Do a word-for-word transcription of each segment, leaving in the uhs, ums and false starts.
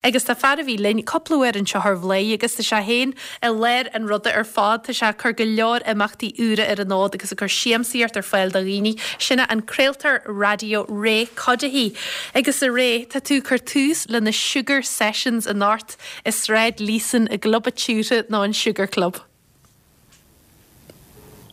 Agus tá fear a bhí linn cúpla uair anseo ar Bhladhaire agus tá sé féin i lár an ruda ar fad tá sé ag cur go leor imeachtaí úra ar an fhód agus ag cur siamsaíocht ar fáil do dhaoine sin an craoltóir raidió Ray Cuddihy. Agus a Ray tá tú ag cur tús le na Sugar Sessions anocht i Sráid Líosain i gclub atútha nó an Sugar Club.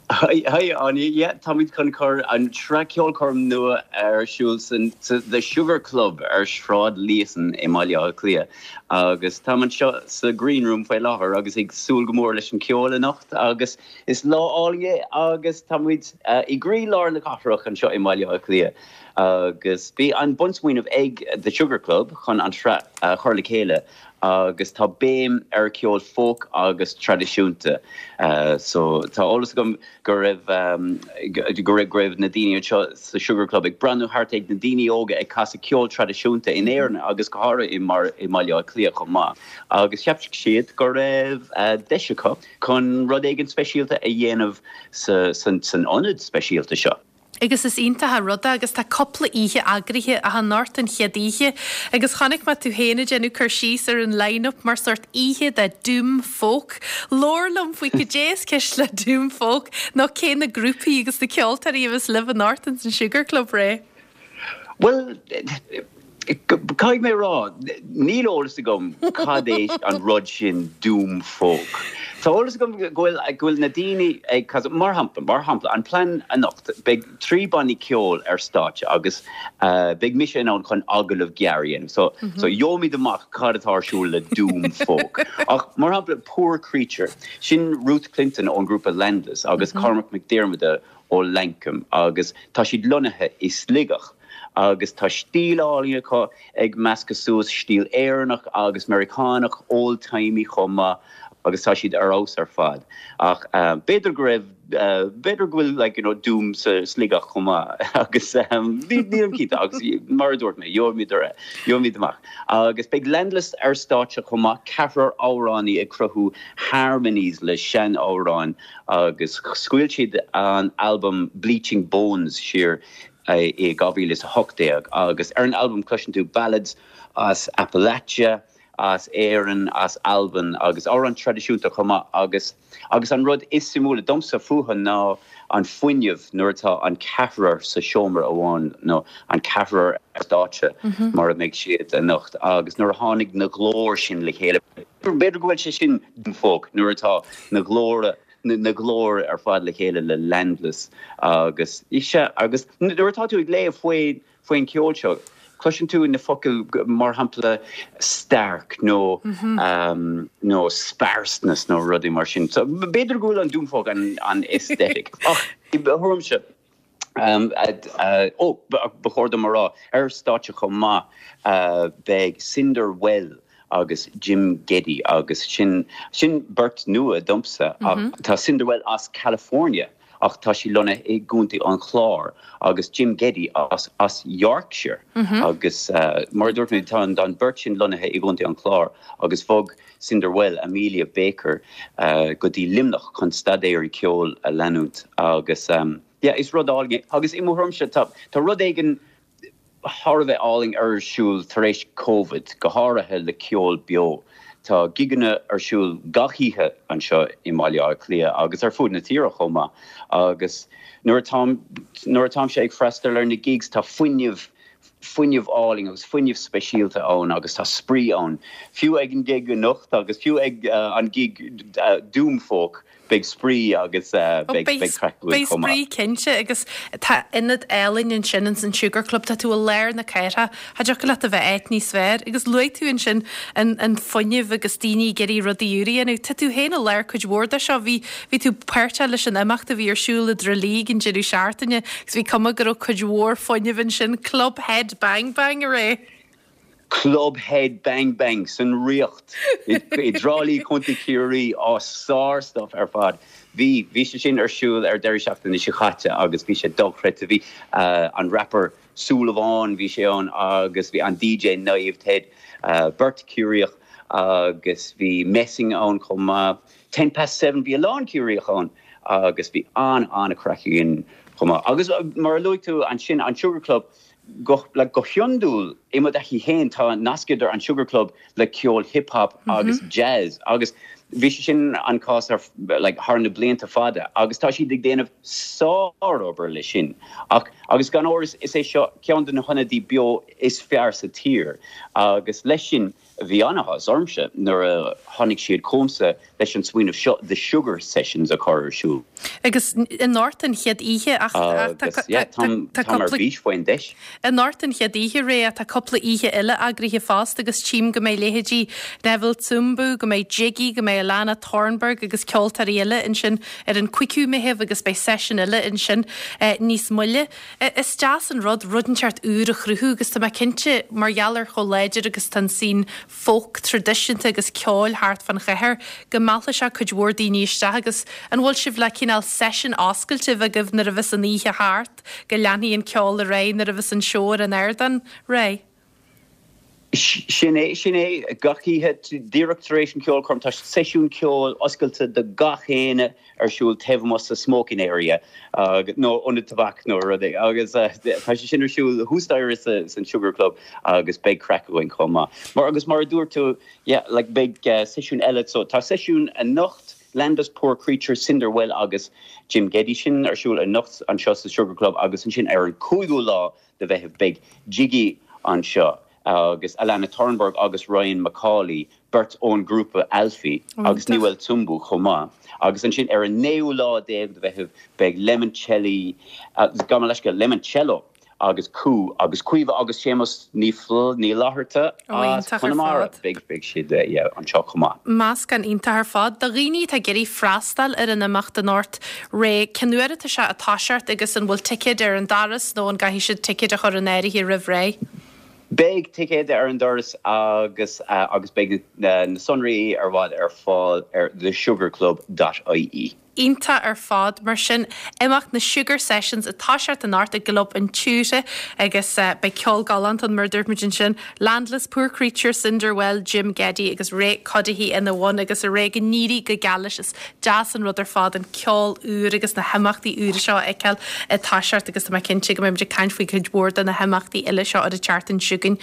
Hi Áine yeah, táimid chun cur an tsraith ceolchoirm nua ar siúl san The Sugar Club ar Shráid Líosain i mBaile Átha Cliath agus tá anseo sa Green Room faoi láthair agus ag súil go mór leis an ceol anocht agus is lá álainn é agus táimid uh, i gcroílár na cathrach anseo i mBaile Átha Cliath. agus bhí an bunsmaoineamh ag The Sugar Club chun an tsraith uh, chur le chéile agus tá béim ar ceol folk agus traidisiúnta. Uh, so tá eolas agam go raibh um, go raibh raibh na daoine anseo sa Sugar Club ag breathnú thart ag na daoine óga ag casadh ceol traidisiúnta in Éirinn agus go háirithe i mar i mBaile Átha Cliath chomh maith. Agus cheap siad go raibh uh, deis acu chun rud éigin speisialta a dhéanamh sa, san, san ionad speisialta seo. Agus is iontach rud é agus tá cúpla oíche eagraithe ach anocht an chéad oíche, agus chonaic mé tú féin ag déanamh cur síos ar an line-up mar sort oíche de Doom Folk. Labhair liom faoi cad é is ceist le Doom Folk nó cé na grúpaí agus na ceoltóirí a bheas libh anocht in san Sugar Club Ray. Well, Caithfidh mé rá níl eolas agam cad é an rud sin Doom Folk. Tá eolas agam go bhfuil go bhfuil na daoine ag mar shampla mar shampla an plean anocht beidh trí banna ceoil ar stáitse agus uh, beidh mise in ann chun agallamh gearr a dhéanamh. So, mm -hmm. so gheobhaimid amach cad atá ar siúl le Doom Folk. Ach mar shampla Poor Creature, sin Ruth Clinton ón grúpa Landless agus mm -hmm. Cormac Mac Diarmada ó Lankum agus tá siad lonnaithe i Sligeach. agus tá stíl álainn acu ag meascadh suas stíl Éireannach agus Meiriceánach old-timey chomh maith agus tá siad ar fheabhas ar fad. Ach uh, b'fhéidir go raibh uh, b'fhéidir go bhfuil like, you know, doom sa Sligeach chomh maith agus um, nílim cinnte agus mar a dúirt mé gheobhaimid gheobhaimid amach. Agus beidh Landless ar stáitse chomh maith ceathrar amhránaí ag cruthú harmonies le seanamhráin agus scaoil siad an album Bleaching Bones siar i dhá mhíle is a hocht déag agus ar an album cloiseann tú ballads as Appalachia, as Éirinn, as Albain agus amhráin traidisiúnta chomh maith agus agus an rud is suimiúla domsa fúthu ná an fuinneamh nuair atá an ceathrar sa seomra amháin nó an ceathrar ar stáitse mm -hmm. mar a mbeidh siad anocht agus nuair a tháinig na glóir sin le chéile. B'fhéidir go bhfuil sé sin folk nuair atá na glóir na glóir ar fad le chéile le Landless agus ise agus nuair atá tú ag léamh faoi faoin ceol seo. Cloiseann tú na focail mar shampla stark nó mm -hmm. um, nó sparseness nó rudaí mar sin. So b'fhéidir go bhfuil an doom folk an, an aesthetic. Ach thuirmse Um, uh, ó ba chóir dom rá ar stáitse chomh maith uh, beidh Cinder Well agus Jim Getty agus sin sin beirt nua domsa mm -hmm. tá Cinderwell as California ach tá sí lonnaithe i gContae an Chláir agus Jim Getty as as Yorkshire mm -hmm. agus uh, mar dúirt mé tá an beirt sin lonnaithe i gContae an Chláir agus bhog Cinderwell Amelia Baker uh, go dtí Luimneach chun staidéar ceoil a leanúint agus um, yeah, is rud álainn agus i mo thuairimse tá tá rud éigin thar a bheith álainn ar siúl tar éis COVID go háirithe le ceol beo. Tá gigeanna ar siúl gach oíche anseo i mBaile Átha Cliath agus ar fud na tíre chomh maith agus nuair nuair atáimse ag freastal ar na gigs tá fuinneamh fuinneamh álainn agus fuinneamh speisialta ann agus tá spraoi ann. Fiú ag an gig anocht agus fiú ag uh, an gig uh, Doom Folk beidh spraoi agus uh, beidh spraoi cinnte agus tá ionad álainn ansin an Sugar Club tá tú i lár na cathrach Cha dtiocfadh leat a bheith áit níos fearr agus luaigh tú ansin an, an fuinneamh agus daoine ag iarraidh rudaí úra a dhéanamh. Tá tú féin i lár cuid mhór de seo bhí bhí tú páirteach leis an imeacht a bhí ar siúl i dTrá Lí an deireadh seachtaine agus bhí cuma go raibh cuid mhór fuinnimh ansin Club Head Bang Bang a Ray. Club Head Bang Bang san Ríocht i dTrá Lí Contae Chiarraí á sár-stuff ar fad. Bhí bhí sé sin ar siúl ar deireadh seachtaine seo caite agus bhí sé dochreidte bhí uh, an rapper Súlamháin bhí sé ann agus bhí an DJ Naomh Ted uh, beirt Ciarraíoch agus bhí Messing ann chomh maith. Ten past seven bhí a lán Ciarraíoch ann agus bhí an an-chraic againn chomh maith. Agus mar a luaigh tú ansin an Sugar Club go, le go hiondúil i mo thaithí féin tá nasc idir an Sugar Club le ceol hip hop agus jazz agus bhí sé sin an cás ar like, thar na blianta fada agus tá siad ag déanamh sárobair le sin. Ach agus gan amhras is é seo ceann de na hionaid beo is fearr sa tír agus leis sin bhí an-áthas ormsa nuair a tháinig siad chugamsa leis an smaoineamh seo the Sugar Sessions a chur ar siúl. Agus anocht an chéad oíche tá ar bís faoin deis. Anocht an chéad oíche Ray tá cúpla oíche eile eagraithe fosta agus tchím go mbeidh leithéidí Neville Tsumbu, go mbeidh Jiggy, go mbeidh Alana Thornburg agus ceoltóirí eile ansin ar an cúigiú Meitheamh agus beidh seisiún eile ansin eh, níos moille. Eh, is deas an rud rud inteacht úr a chruthú agus tá mé cinnte mar gheall ar chomh láidir agus tá an scene folk traidisiúnta agus ceoil thart fan chathair go meallfaidh sé cuid mhór daoine isteach agus an bhfuil sibh le cineál seisiún oscailte agaibh nuair a bheas an oíche thart go leanfaidh an ceol ar aghaidh nuair a bheas an seó ar an ardán Ray. Sin é sin é gach oíche díreach tar éis an ceolchoirm tá seisiún ceoil oscailte do gach éinne ar siúl taobh amuigh sa smoking area nó ionad tobac nó rud agus tá sé sin ar siúl thuas san Sugar Club agus beidh craic againn chomh maith. Mar agus mar a dúirt tú yeah, like beidh uh, seisiún eile so tá seisiún anocht Landless Poor Creature Cinderwell agus Jim Geddy sin ar siúl anocht anseo sa Sugar Club agus ansin ar an cúigiú lá de Mheitheamh beidh Jiggy anseo. agus Alana Thornburg agus Ryan McCauley beirt ón grúpa Alfie agus Newell Tsumbu chomh maith. agus ansin ar an naoú lá déag de Mheitheamh beidh Lemoncelli uh, gabh leis go Lemoncello agus Cú agus Caoimhe agus Séamus Ní Ní Fhlatharta Conamara beidh beidh siad anseo chomh maith. Meascán iontach ar fad do dhaoine atá ag iarraidh freastal ar an imeacht anocht Ray cén uair atá sé ag toiseacht agus an bhfuil ticéid ar an doras nó an gcaithfidh siad ticéid a chur in áirithe roimh ré. Beidh ticéid ar an doras agus uh, agus beidh na, na sonraí ar fad ar fáil ar thesugarclub.ie. Iontach ar fad mar sin imeacht na Sugar Sessions ag toiseacht anocht i gClub an tSiúire agus uh, beidh ceol galánta mar a dúirt muid ansin Landless Poor Creature Cinderwell Jim Geddy agus Ray Cuddihy ina bhun agus a ré go n-éirí go geal leis is deas an rud ar fad an ceol úr agus na himeachtaí úra seo a fheiceáil ag toiseacht agus tá cinnte go mbeidh caint faoi chuid mhór de na himeachtaí eile seo ar an tseachtain seo chugainn.